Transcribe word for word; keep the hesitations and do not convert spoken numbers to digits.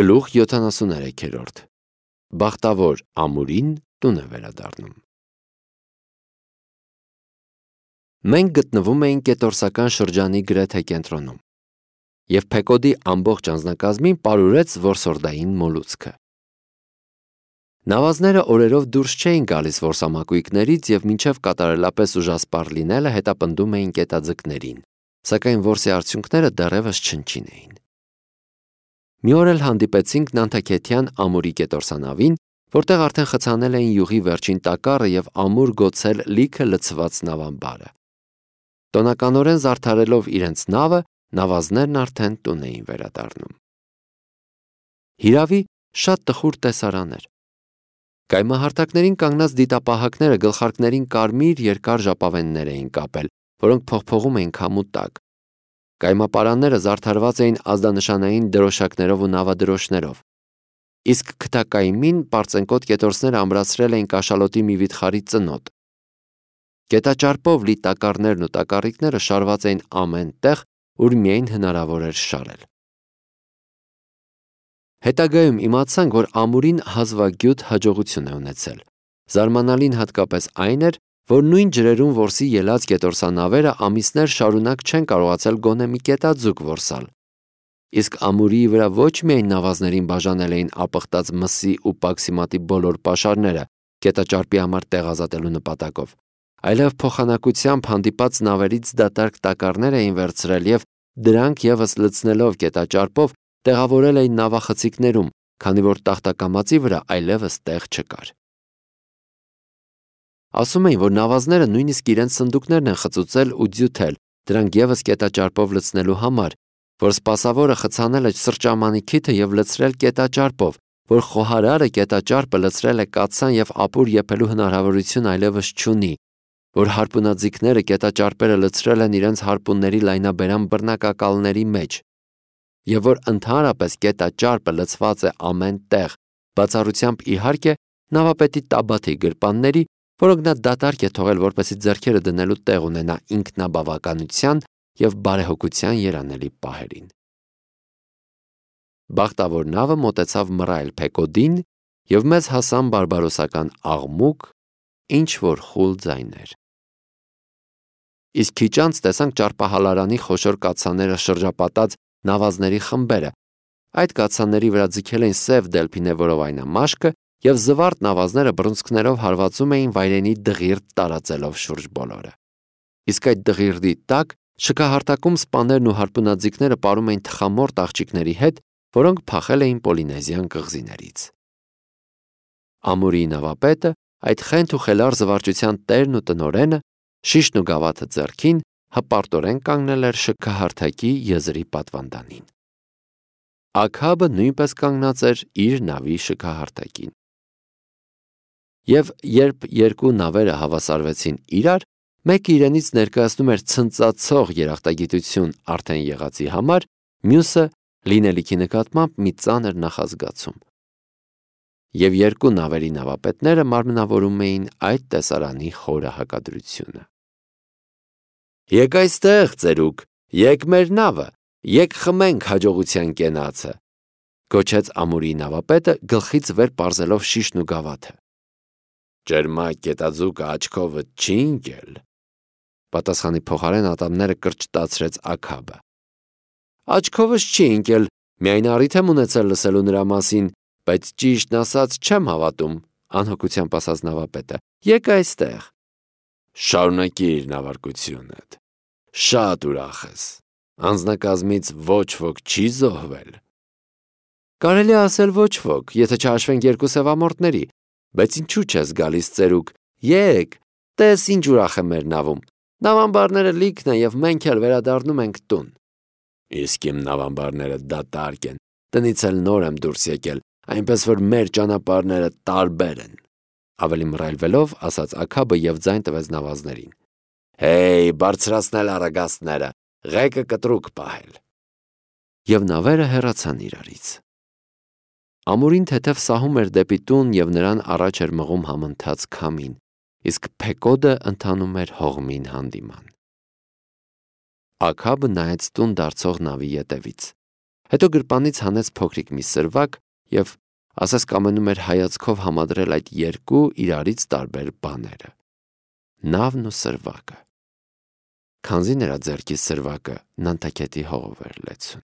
Գլուխ յոթանասուններեք Բախտավոր ամուրին տուն է վերադառնում։ Մենք գտնվում էինք կետորսական շրջանի գրեթե կենտրոնում, և Փեկոդի ամբողջ անձնակազմին պարուրեց որսորդային մոլուցքը։ Նավազները օրերով դուրս չէին գալիս որսամակույկներից և մինչև կատարելապես ուժասպառ լինելը հետապնդում էին կետաձկներին, սակայն որսի արդյունքները դեռևս չնչին էին։ Մի օր էլ հանդիպեցինք Նանթաքեթյան ամուրի կետորսանավին, որտեղ արդեն խցանել էին յուղի վերջին տակառը և ամուր գոցել լիքը լցված նավամբարը։ Տոնականորեն զարդարելով իրենց նավը, նավազներն արդեն տուն էին վերադառնում։ Հիրավի, շատ տխուր տեսարան էր։ Կայմահարթակներին կանգնած դիտապահակները գլխարկներին կարմիր երկար ժապավեններ էին կապել, որոնք փողփողում էին քամու տակ։ Կայմապարանները զարդարված էին ազդանշանային դրոշակներով ու նավադրոշներով, իսկ քթակայմին պարծենկոտ կետորսները ամրացրել էին կաշալոտի մի վիթխարի ծնոտ։ Կետաճարպով լի տակառներն ու տակառիկները շարված էին ամեն տեղ, ուր միայն հնարավոր էր շարել։ Հետագայում իմացանք, որ ամուրին հազվագյուտ հաջողություն է ունեցել։ Զարմանալին հատկապես այն էր, որ նույն ջրերում որսի ելած կետորսանավերը ամիսներ շարունակ չեն կարողացել գոնե մի կետաձուկ որսալ։ Իսկ ամուրիի վրա ոչ միայն նավազներին բաժանել էին ապխտած մսի ու պաքսիմատի բոլոր պաշարները կետաճարպի համար տեղ ազատելու նպատակով, այլև փոխանակությամբ հանդիպած նավերից դատարկ տակառներ էին վերցրել և դրանք ևս լցնելով կետաճարպով տեղավորել էին նավախցիկներում, քանի որ տախտակամածի վրա այլևս տեղ չկար։ Ասում էին, որ նավազները նույնիսկ իրենց սնդուկներն են խծուծել ու ձյութել, դրանք ևս կետաճարպով լցնելու համար, որ սպասավորը խցանել է սրճամանի քիթը և լցրել կետաճարպով, որ խոհարարը կետաճարպը լցրել է կաթսան և ապուր եփելու հնարավորություն այլևս չունի, որ հարպունաձիգները կետաճարպերը լցրել են իրենց հարպունների լայնաբերան բռնակակալների մեջ, և որ ընդհանրապես կետաճարպը լցված է ամեն տեղ, բացառությամբ իհարկե նավապետի տաբաթի գրպանների, որոնք նա դատարկ է թողել, որպեսզի ձեռքերը դնելու տեղ ունենա ինքնաբավականության և բարեհոգության երանելի պահերին։ Բախտավոր նավը մոտեցավ մռայլ Փեկոդին, և մեզ հասան բարբարոսական աղմուկ, ինչ-որ խուլ ձայներ։ Իսկ քիչ անց տեսանք ճարպահալարանի խոշոր կաթսաները շրջապատած նավազների խմբերը։ Այդ կաթսաների վրա ձգել էին սև դելփինե-որովայնամաշկը և զվարթ նավազները բռունցքներով հարվածում էին վայրենի դղիրդ տարածելով շուրջ բոլորը։ Իսկ այդ դղիրդի տակ շքահարտակում սպաներն ու հարպունաձիգները պարում էին թխամորթ աղջիկների հետ, որոնք փախել էին Պոլինեզիան կղզիներից։ Ամուրիի նավապետը, այդ խենթ ու խելառ զվարճության տերն ու տնօրենը, շիշն ու գավաթը ձեռքին, հպարտորեն կանգնել էր շքահարթակի եզրի պատվանդանին։ Աքաբը նույնպես կանգնած էր իր նավի շքահարթակին։ Եվ երբ երկու նավերը հավասարվեցին իրար, մեկը իրենից ներկայացնում էր ցնծացող երախտագիտություն արդեն եղածի համար, մյուսը լինելիքի նկատմամբ մի ծանր նախազգացում։ Եվ երկու նավերի նավապետները մարմնավորում էին այդ տեսարանի խորը հակադրությունը։ «Եկ այստեղ, ծերուկ, եկ մեր նավը, եկ խմենք հաջողության կենացը», գոչեց ամուրիի նավապետը, գլխից վեր պարզելով շիշն ու գավաթը։ «Ճերմակ կետաձուկը աչքովդ չի ընկել», պատասխանի փոխարեն ատամները կրճտացրեց Աքաբը։ «Աչքովս չի ընկել, միայն առիթ եմ ունեցել լսելու նրա մասին, բայց ճիշտն ասած չեմ հավատում», անհոգությամբ ասաց նավապետը։ «Եկ այստեղ»։ «Շարունակիր նավարկությունդ, շատ ուրախ ես, անձնակազմից ոչ ոք չի զոհվել»։ «Կարելի է ասել ոչ ոք, եթե չհաշվենք երկու սևամորթների, բայց ինչու չես գալիս, ծերուկ, եկ, տես ինչ ուրախ է մեր նավում, նավամբարները լիքն են և մենք էլ վերադառնում ենք տուն»։ «Իսկ իմ նավամբարները դատարկ են, տնից էլ նոր եմ դուրս եկել, այնպես որ մեր ճանապարհները տարբեր են», ավելի մռայլվելով ասաց Աքաբը և ձայն տվեց նավազներին։ «Հեյ, բարձրացնել առագաստները, ղեկը կտրուկ պահել»։ Եվ նավերը հեռացան իրարից։ Ամուրին թեթև սահում էր դեպի տուն և նրան առաջ էր մղում համընթաց քամին, իսկ Փեկոդը ընթանում էր հողմին հանդիման։ Աքաբը նայեց տուն դարձող նավի ետևից։ Հետո գրպանից հանեց փոքրիկ մի սրվակ և ասես կամենում էր հայացքով համադրել այդ երկու իրարից տարբեր բաները՝ նավն ու սրվակը։ Քանզի նրա ձեռքից սրվակը Նանտակետի հողով էր լեցուն։